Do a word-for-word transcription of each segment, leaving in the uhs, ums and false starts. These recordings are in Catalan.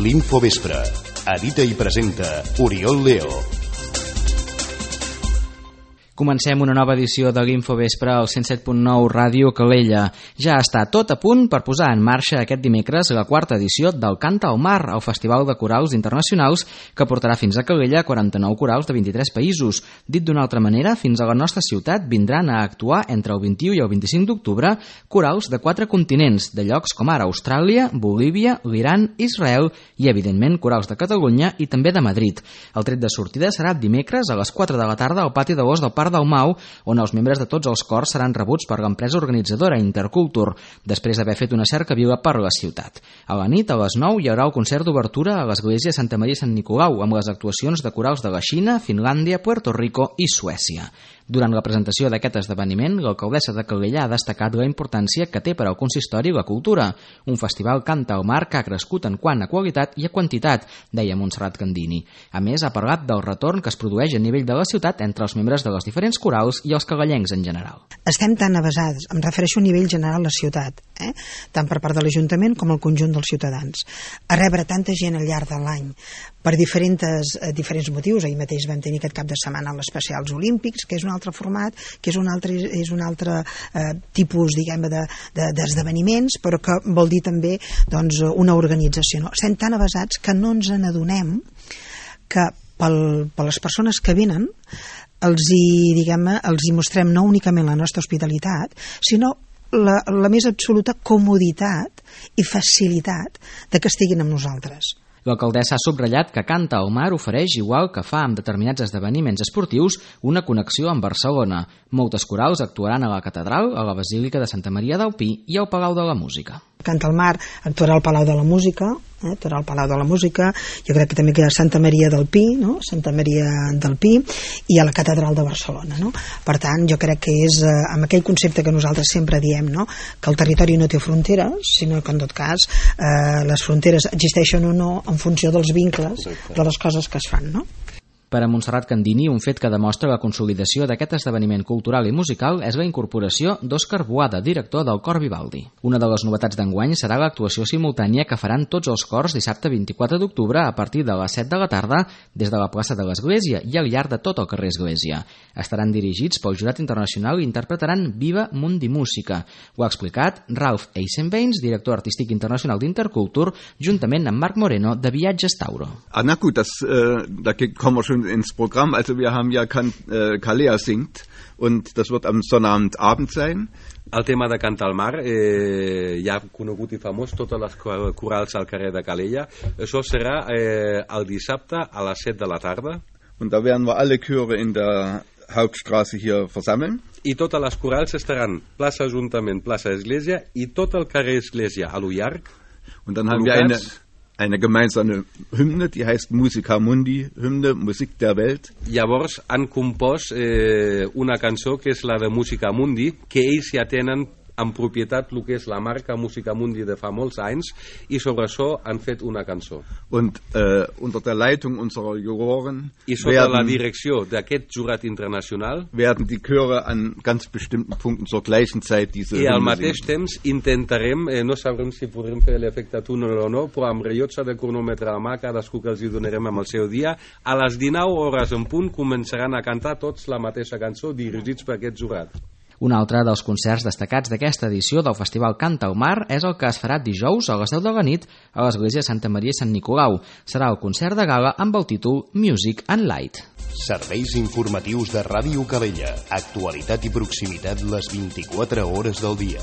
L'Infovespre. Edita i presenta Oriol Leo. Comencem una nova edició de l'Infovespre al cent set punt nou Ràdio Calella. Ja està tot a punt per posar en marxa aquest dimecres la quarta edició del Canta al Mar, el Festival de Corals Internacionals que portarà fins a Calella quaranta-nou corals de vint-i-tres països. Dit d'una altra manera, fins a la nostra ciutat vindran a actuar entre el vint-i-u i el vint-i-cinc d'octubre corals de quatre continents, de llocs com ara Austràlia, Bolívia, l'Iran, Israel i, evidentment, corals de Catalunya i també de Madrid. El tret de sortida serà dimecres a les quatre de la tarda al pati de l'Os del Parc del Mau, on els membres de tots els cors seran rebuts per l'empresa organitzadora Intercultur, després d'haver fet una cercavila per la ciutat. A la nit, a les nou, hi haurà el concert d'obertura a l'església Santa Maria i Sant Nicolau, amb les actuacions de corals de la Xina, Finlàndia, Puerto Rico i Suècia. Durant la presentació d'aquest esdeveniment, l'alcaldessa de Calella ha destacat la importància que té per al consistori la cultura. Un festival Canta al Mar que ha crescut en quant a qualitat i a quantitat, deia Montserrat Candini. A més, ha parlat del retorn que es produeix a nivell de la ciutat entre els membres de les diferents corals i els calellencs en general. Estem tan avasats, em refereixo a nivell general a la ciutat, eh? tant per part de l'Ajuntament com el conjunt dels ciutadans, a rebre tanta gent al llarg de l'any per diferents, eh, diferents motius. Ahir mateix vam tenir aquest cap de setmana l'Especials Olímpics, que és un altre format, que és un altre, és un altre eh, tipus, diguem, de, de, d'esdeveniments, però que vol dir també doncs, una organització. No? Estem tan avasats que no ens n'adonem que pel, per les persones que venen els hi, diguem, els hi mostrem no únicament la nostra hospitalitat, sinó la, la més absoluta comoditat i facilitat de que estiguin amb nosaltres. L'alcaldessa ha subratllat que Canta al Mar ofereix, igual que fa amb determinats esdeveniments esportius, una connexió amb Barcelona. Moltes corals actuaran a la Catedral, a la Basílica de Santa Maria del Pi i al Palau de la Música. Canta al Mar actuarà al Palau de la Música, eh, actuarà al Palau de la Música, jo crec que també que hi ha Santa Maria del Pi, no? Santa Maria del Pi, i a la Catedral de Barcelona. No? Per tant, jo crec que és eh, amb aquell concepte que nosaltres sempre diem, no? Que el territori no té fronteres, sinó que en tot cas eh, les fronteres existeixen o no en funció dels vincles de les coses que es fan, no? Per a Montserrat Candini, un fet que demostra la consolidació d'aquest esdeveniment cultural i musical és la incorporació d'Òscar Boada, director del Cor Vivaldi. Una de les novetats d'enguany serà l'actuació simultània que faran tots els cors dissabte vint-i-quatre d'octubre a partir de les set de la tarda des de la plaça de l'Església i al llarg de tot el carrer Església. Estaran dirigits pel jurat internacional i interpretaran Viva Mundi Música. Ho ha explicat Ralph Eisenbeins, director artístic internacional d'Intercultur, juntament amb Marc Moreno de Viatges Tauro. Ah, na gut, das, äh, da kommen wir schon ins Programm. Also wir haben ja Can- äh, Calella singt und das wird am Sonnabendabend sein. El tema de Canta al Mar, eh, ja conegut i famós, totes les corals al carrer de Calella. Això serà eh, el dissabte a les set de la tarda. Und da werden wir alle Chöre in der Hauptstraße hier versammeln. I totes les corals estaran plaça Ajuntament, plaça Església i tot el carrer Església a lo llarg. Und dann haben wir eine eine gemeinsame Hymne, die heißt Musica Mundi, Hymne, Musik der Welt. Llavors han compost eh, una cançó que és la de Musica Mundi, que ells ja tenen en propietat el que és la marca Musica Mundi de fa molts anys, i sobre això han fet una cançó. Und äh, unter der Leitung unserer Juroren I sota werden, la direcció d'aquest jurat internacional werden die Chöre an ganz bestimmten Punkten zur gleichen Zeit diese i al Hymne mateix singen. temps intentarem, eh, no sabrem si podrem fer l'efecte túnel o no, però amb rellotge de cronòmetre a la mà, cadascú que els hi donarem amb el seu dia, a les dinou hores en punt començaran a cantar tots la mateixa cançó dirigits per aquest jurat. Un altre dels concerts destacats d'aquesta edició del Festival Canta al Mar és el que es farà dijous a les deu de la nit a l'església Santa Maria i Sant Nicolau. Serà el concert de gala amb el títol Music and Light. Serveis informatius de Ràdio Calella. Actualitat i proximitat les vint-i-quatre hores del dia.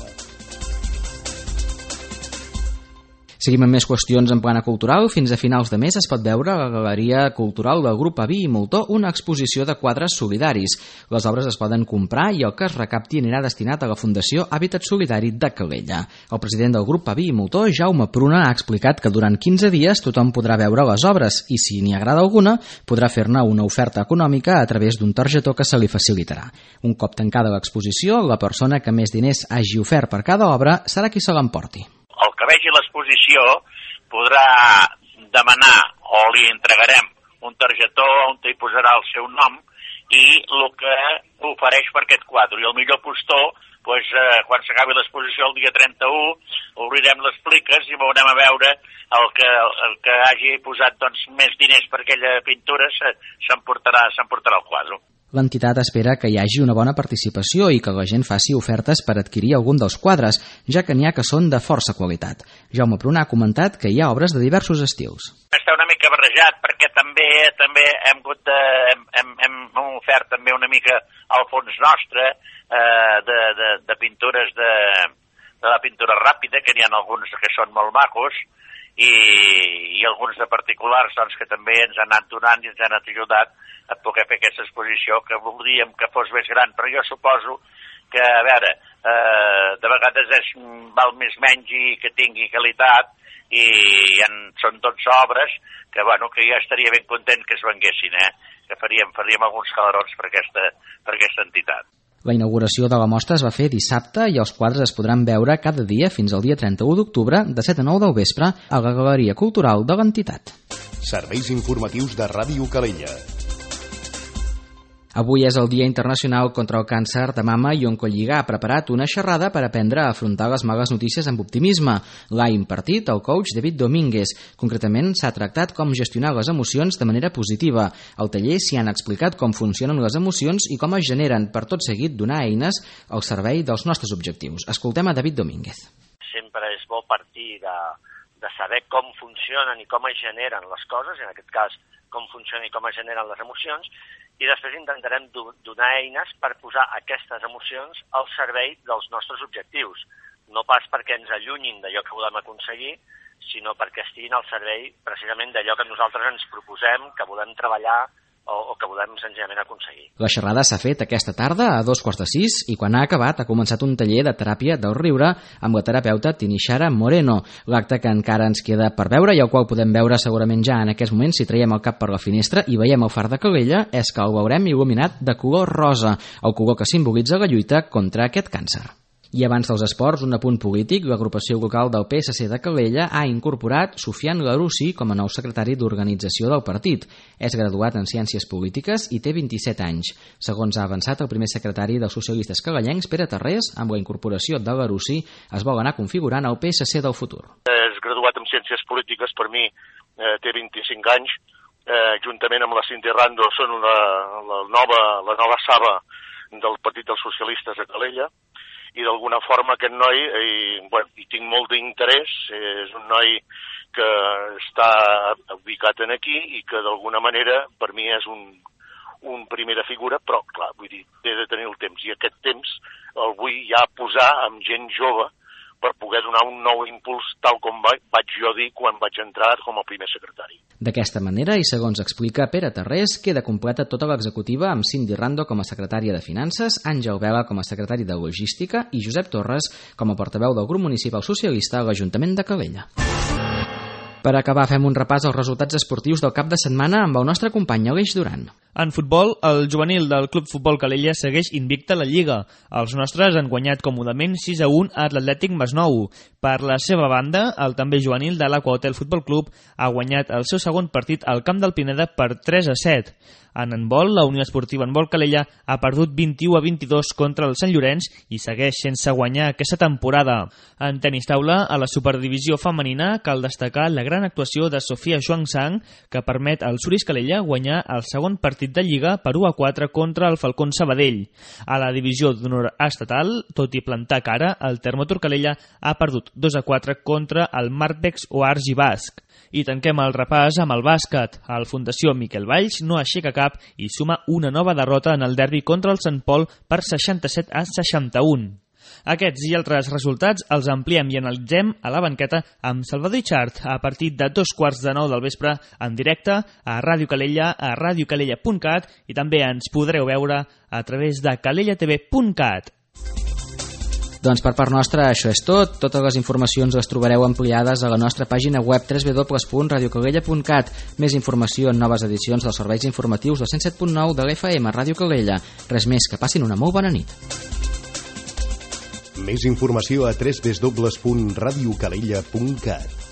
Seguim amb més qüestions en plana cultural. Fins a finals de mes es pot veure a la Galeria Cultural del Grup Aví i Moltó una exposició de quadres solidaris. Les obres es poden comprar i el que es recapti anirà destinat a la Fundació Hàbitat Solidari de Calella. El president del Grup Aví i Moltó, Jaume Pruna, ha explicat que durant quinze dies tothom podrà veure les obres i, si n'hi agrada alguna, podrà fer-ne una oferta econòmica a través d'un targetó que se li facilitarà. Un cop tancada l'exposició, la persona que més diners hagi ofert per cada obra serà qui se l'emporti. El que vegi l'exposició podrà demanar o li entregarem un targetó on hi posarà el seu nom i el que ofereix per aquest quadre. I el millor postor pues, eh, quan s'acabi l'exposició el dia trenta-u, obrirem les pliques i veurem a veure el que, el que hagi posat doncs, més diners per aquella pintura s'emportarà s'emportarà el quadre. L'entitat espera que hi hagi una bona participació i que la gent faci ofertes per adquirir algun dels quadres, ja que n'hi ha que són de força qualitat. Jaume Pruna ha comentat que hi ha obres de diversos estils. Està una mica barrejat perquè també també hem, hagut de, hem, hem, hem ofert també una mica al fons nostre eh, de, de, de pintures de, de la pintura ràpida, que n'hi ha alguns que són molt macos, i, i alguns de particulars doncs, que també ens han anat donant i ens han ajudat a poder fer aquesta exposició, que voldríem que fos més gran, però jo suposo que, a veure, eh, de vegades és, val més menys i que tingui qualitat, i en, són dotze obres que, bueno, que ja estaria ben content que es venguessin, eh? Que faríem, faríem alguns calarons per aquesta, per aquesta entitat. La inauguració de la mostra es va fer dissabte i els quadres es podran veure cada dia fins al dia trenta-u d'octubre de set a nou del vespre a la Galeria Cultural de l'entitat. Serveis informatius de Ràdio Calella. Avui és el Dia Internacional contra el Càncer de Mama i Oncolliga ha preparat una xerrada per aprendre a afrontar les males notícies amb optimisme. L'ha impartit el coach David Domínguez. Concretament, s'ha tractat com gestionar les emocions de manera positiva. Al taller s'hi han explicat com funcionen les emocions i com es generen, per tot seguit donar eines al servei dels nostres objectius. Escoltem a David Domínguez. Sempre és bo partir de, de saber com funcionen i com es generen les coses, en aquest cas com funcionen i com es generen les emocions, i després intentarem do- donar eines per posar aquestes emocions al servei dels nostres objectius. No pas perquè ens allunyin d'allò que volem aconseguir, sinó perquè estiguin al servei precisament d'allò que nosaltres ens proposem, que volem treballar o, o que volem senzillament aconseguir. La xerrada s'ha fet aquesta tarda a dos quarts de sis i quan ha acabat ha començat un taller de teràpia del riure amb la terapeuta Tinixara Moreno. L'acte que encara ens queda per veure i el qual podem veure segurament ja en aquest moment si traiem el cap per la finestra i veiem el far de Calella és que el veurem il·luminat de color rosa, el color que simbolitza la lluita contra aquest càncer. I abans dels esports, un apunt polític, l'agrupació local del P S C de Calella ha incorporat Sofian Larussi com a nou secretari d'organització del partit. És graduat en Ciències Polítiques i té vint-i-set anys. Segons ha avançat el primer secretari dels socialistes calellencs, Pere Tarrés, amb la incorporació de Larussi es vol anar configurant el P S C del futur. És graduat en Ciències Polítiques, per mi eh, té vint-i-cinc anys, eh, juntament amb la Cintia Rando són la, la, nova, la nova saba del Partit dels Socialistes de Calella, i d'alguna forma aquest noi, i, bueno, hi tinc molt d'interès, és un noi que està ubicat en aquí i que d'alguna manera per mi és un, un primera figura, però clar, vull dir, he de tenir el temps, i aquest temps el vull ja posar amb gent jove per poder donar un nou impuls tal com vaig jo dir quan vaig entrar com a primer secretari. D'aquesta manera, i segons explica Pere Tarrés, queda completa tota l'executiva amb Cindy Rando com a secretària de Finances, Àngel Vela com a secretari de Logística i Josep Torres com a portaveu del grup municipal socialista a l'Ajuntament de Calella. Per acabar, fem un repàs als resultats esportius del cap de setmana amb el nostre company Aleix Duran. En futbol, el juvenil del Club Futbol Calella segueix invicta a la Lliga. Els nostres han guanyat còmodament sis a un a l'Atlètic Masnou. Per la seva banda, el també juvenil de l'Aqua Hotel Futbol Club ha guanyat el seu segon partit al camp del Pineda per tres a set. En handbol, la Unió Esportiva Handbol Calella ha perdut vint-i-u a vint-i-dos contra el Sant Llorenç i segueix sense guanyar aquesta temporada. En tenis taula, a la Superdivisió femenina, cal destacar la gran actuació de Sofia Xuangsang, que permet al Suris Calella guanyar el segon partit de Lliga per u a quatre contra el Falcón Sabadell. A la divisió d'honor estatal, tot i plantar cara, el Termotor Calella ha perdut dos a quatre contra el Marpex Oargi Basc. I tanquem el repàs amb el bàsquet. El Fundació Miquel Valls no aixeca cap i suma una nova derrota en el derbi contra el Sant Pol per seixanta-set a seixanta-un. Aquests i altres resultats els ampliem i analitzem a la banqueta amb Salvador Ichart a partir de dos quarts de nou del vespre en directe a Ràdio Calella, a radiocalella punt cat i també ens podreu veure a través de calella t v punt cat. Doncs per part nostra això és tot. Totes les informacions les trobareu ampliades a la nostra pàgina web w w w punt radio calella punt cat. Més informació en noves edicions dels serveis informatius del cent set punt nou de l'F M Ràdio Calella. Res més, que passin una molt bona nit. Més informació a w w w punt radio calella punt cat.